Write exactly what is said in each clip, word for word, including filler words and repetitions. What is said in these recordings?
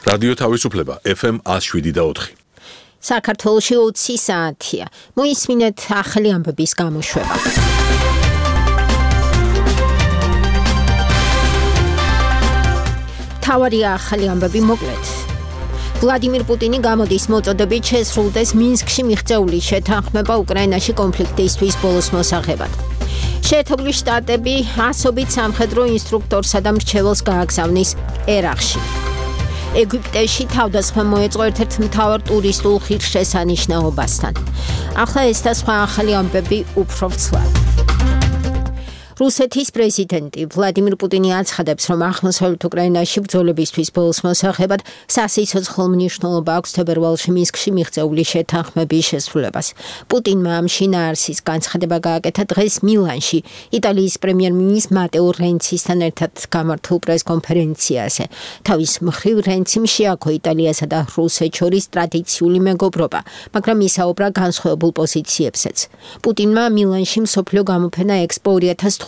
რადიო თავისუფლება ეფ ემ one oh seven და four. საქართველოში ოცი საათია. მოისმინეთ ახალი ამბების გამოშვება. თავარია ახალი ამბები მოკლედ. ვლადიმირ პუტინი გამოდის მოწოდებით შესრულდეს მინსკში მიღწეული შეთანხმება უკრაინაში კონფლიქტისთვის ბოლოს მოსაღებად. შეერთებული შტატები ასობით სამხედრო ინსტრუქტორსა და მრჩეველს გააგზავნის ერაყში. ეგვიპტეში თავდასხმა მოეწყო ერთ-ერთ მთავარ ტურისტულ ღირსშესანიშნაობასთან. ახლა ეს და სხვა ახალი ამბები უფრო ვრცლად. რუსეთის პრეზიდენტი ვლადიმირ პუტინი აცხადებს, რომ აღმოსავლეთ უკრაინაში ბრძოლებისთვის ბოლოს მოსაღებად სასიცოცხლო მნიშვნელობა აქვს თებერვალში მინსკში მიღწეული შეთანხმების შესრულებას. პუტინმა ამ შინაარსის განცხადება გააკეთა დღეს მილანში იტალიის პრემიერ-მინისტრ მატეო რენცისთან ერთად გამართულ პრესკონფერენციაზე. თავის მხრივ რენციმ შეაქო იტალიასა და რუსეთს შორის ტრადიციული მეგობრობა, მაგრამ ისაუბრა განსხვავებულ პოზიციებზეც. პუტინმა მილანში მსოფლიო გამოფენა ექსპო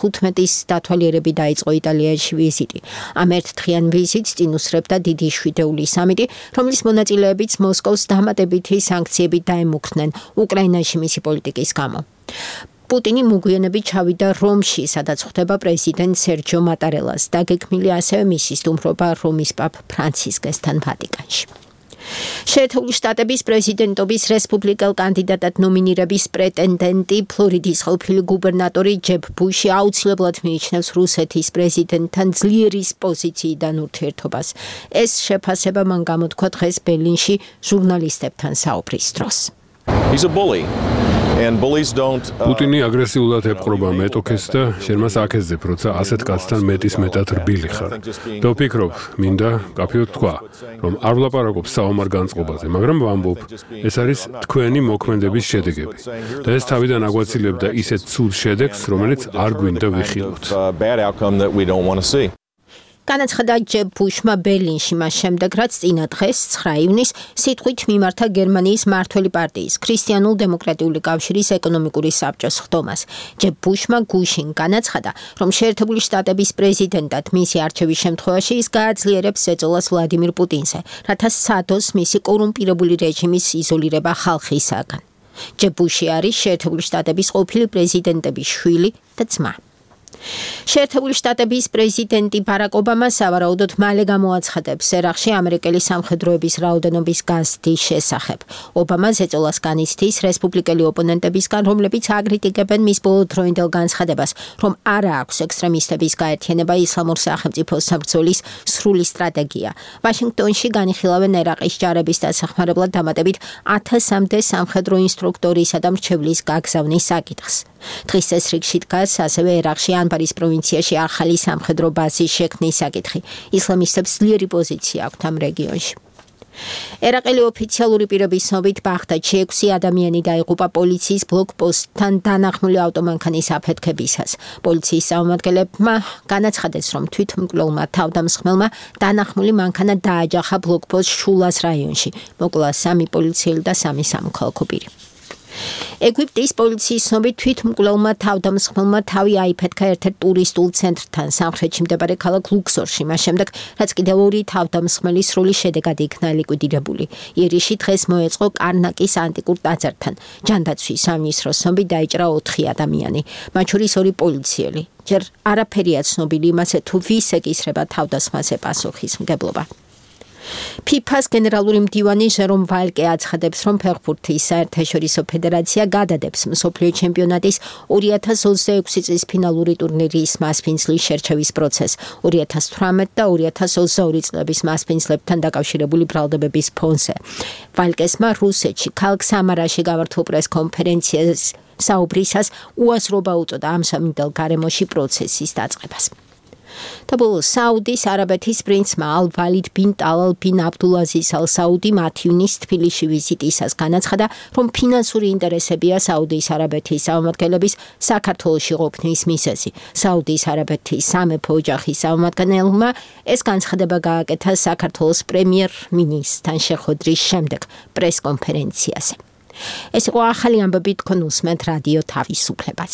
two thousand fifteen-ის დათვალიერებით დაიწყო იტალიაში ვიზიტი. ამ ერთდღიან ვიზიტს წინ უსწრებდა დიდი შვიდეული სამიტი, რომლის მონაწილეებიც მოსკოვს დამატებითი სანქციებით დაემუქრნენ უკრაინაში მისი პოლიტიკის გამო. პუტინი მოგვიანებით ჩავიდა რომში, სადაც ხვდება პრეზიდენტ სერჯო მატარელას. დაგეგმილი ასევე მისი სტუმრობა რომის პაპ ფრანცისკესთან ვატიკანში. შეერთებული შტატების პრეზიდენტობის რესპუბლიკელ კანდიდატად ნომინირების პრეტენდენტი ფლორიდის ყოფილი გუბერნატორი ჯებ ბუში აუცილებლად მიიჩნევს რუსეთის პრეზიდენტთან ძლიერის პოზიციიდან ურთიერთობას. ეს შეფასება მან გამოთქვა დღეს ბერლინში ჟურნალისტებთან საუბრის დროს. He's a bully. პუტინი აგრესიულად ეპყრობა მეტოქეს და შენ მას აკეცდებ, როცა ასეთ კაცთან მეტის მეტად რბილი ხარ. და ვფიქრობ, მინდა კაფეოდ თქვა, რომ არ ვლაპარაკობ საომარ განწყობაზე, მაგრამ ვამბობ, ეს არის თქვენი მოქმედების შედეგები. და ეს თავიდან აგვაცილებდა ისეთ ცუდ შედეგს, რომელიც არ გვინდა ვიხილოთ. განაცხადა ჯებ ბუშმა ბერლინში მას შემდეგ, რაც წინა დღეს ცხრა ივნისს სიტყვით მიმართა გერმანიის მმართველი პარტიის ქრისტიანულ დემოკრატიული კავშირის ეკონომიკური საბჭოს ხდომას. ჯებ ბუშმა გუშინ განაცხადა, რომ შეერთებული შტატების პრეზიდენტად მისი არჩევის შემთხვევაში ის გააძლიერებს ზეწოლას ვლადიმირ პუტინზე, რათა სცადოს მისი კორუმპირებული რეჟიმის იზოლირება ხალხისაგან. ჯებ ბუში არის შეერთებული შტატების ყოფილი პრეზიდენტების შვილი და ძმა. შეერთებული შტატების პრეზიდენტი ბარაკ ობამა სავარაუდოდ მალე გამოაცხადებს ერაყში ამერიკელი სამხედროების რაოდენობის გაზრდის შესახებ. ობამა ზეწოლას განიცდის რესპუბლიკელი ოპონენტებისგან, რომლებიც აკრიტიკებენ მის ბოლოდროინდელ განცხადებას, რომ არა აქვს ექსტრემისტების გაერთიანება ისლამურ სახელმწიფოს საბრძოლის სრული სტრატეგია. ვაშინგტონში განიხილავენ ერაყის ჯარების დასახმარებლად დამატებით ათასამდე სამხედრო ინსტრუქტორისა და მრჩევლის გაგზავნის საკითხს. დღის წესრიგში დგას ასევე ერაყში ანბარის პროვინციაში ახალი სამხედრო ბაზის შექმნის საკითხი. ისლამისტებს ძლიერი პოზიცია აქვთ ამ რეგიონში. ერაყელი ოფიციალური პირების ცნობით ბაღდადში ექვსი ადამიანი დაიღუპა პოლიციის ბლოკპოსტთან დანახმული ავტომანქანის აფეთქებისას. პოლიციის წარმომადგენლებმა განაცხადეს, რომ თვითმკვლელმა თავდამსხმელმა დანახმული მანქანა დააჯახა ბლოკპოსტ შულას რაიონში. მოკლა სამი პოლიციელი და სამი სამოქალაქო პირი. ეგვიპტის პოლიციის ცნობით თვითმკვლელმა თავდამსხმელმა თავი აიფეთქა ერთ-ერთ ტურისტულ ცენტრთან სამხრეთში მდებარე ქალაქ ლუქსორში, მას შემდეგ, რაც კიდევ ორი თავდამსხმელი სრული შედეგად იქნა ლიკვიდირებული. ირიში დღეს მოეწყო კარნაკის ანტიკურ ტაძართან. ჯანდაცვის სამინისტროს ცნობით დაიჭრა ოთხი ადამიანი, მათ შორის ორი პოლიციელი. ჯერ არაფერია ცნობილი იმაზე, თუ ვის ეკისრება თავდასხმაზე პასუხისმგებლობა. ფიფას გენერალური მდივანი ჟერომ ვალკე აცხადებს, რომ ფეხბურთის საერთაშორისო ფედერაცია გადადებს მსოფლიო ჩემპიონატის ორი ათას ოცდაექვსი წლის ფინალური ტურნირის მასპინძლის შერჩევის პროცესს. ორი ათას თვრამეტი და ორი ათას ოცდაორი წლების მასპინძლებთან დაკავშირებული ბრალდებების ფონზე. ვალკესმა რუსეთში ქალაქ სამარაში გამართულ პრესკონფერენციას საუბრისას უაზრობა უწოდა ამ სამინდელ გარემოში პროცესის დაწყებას. და ბოლოს საუდის არაბეთის პრინცმა ალ-ვალიდ ბინ ტალალ ბინ აბდულაზიზ ალ-საუდი მათი ივნისს თბილისში ვიზიტისას განაცხადა, რომ ფინანსური ინტერესებია საუდის არაბეთის წარმომადგენლების საქართველოში ყოფნის მიზეზი. საუდის არაბეთის სამეფო ოჯახის წარმომადგენელმა ეს განცხადება გააკეთა საქართველოს პრემიერ-მინისტრთან შეხვედრის შემდეგ პრესკონფერენციაზე. ეს იყო ახალი ამბები, თქვენ უსმენთ რადიო თავისუფლებას.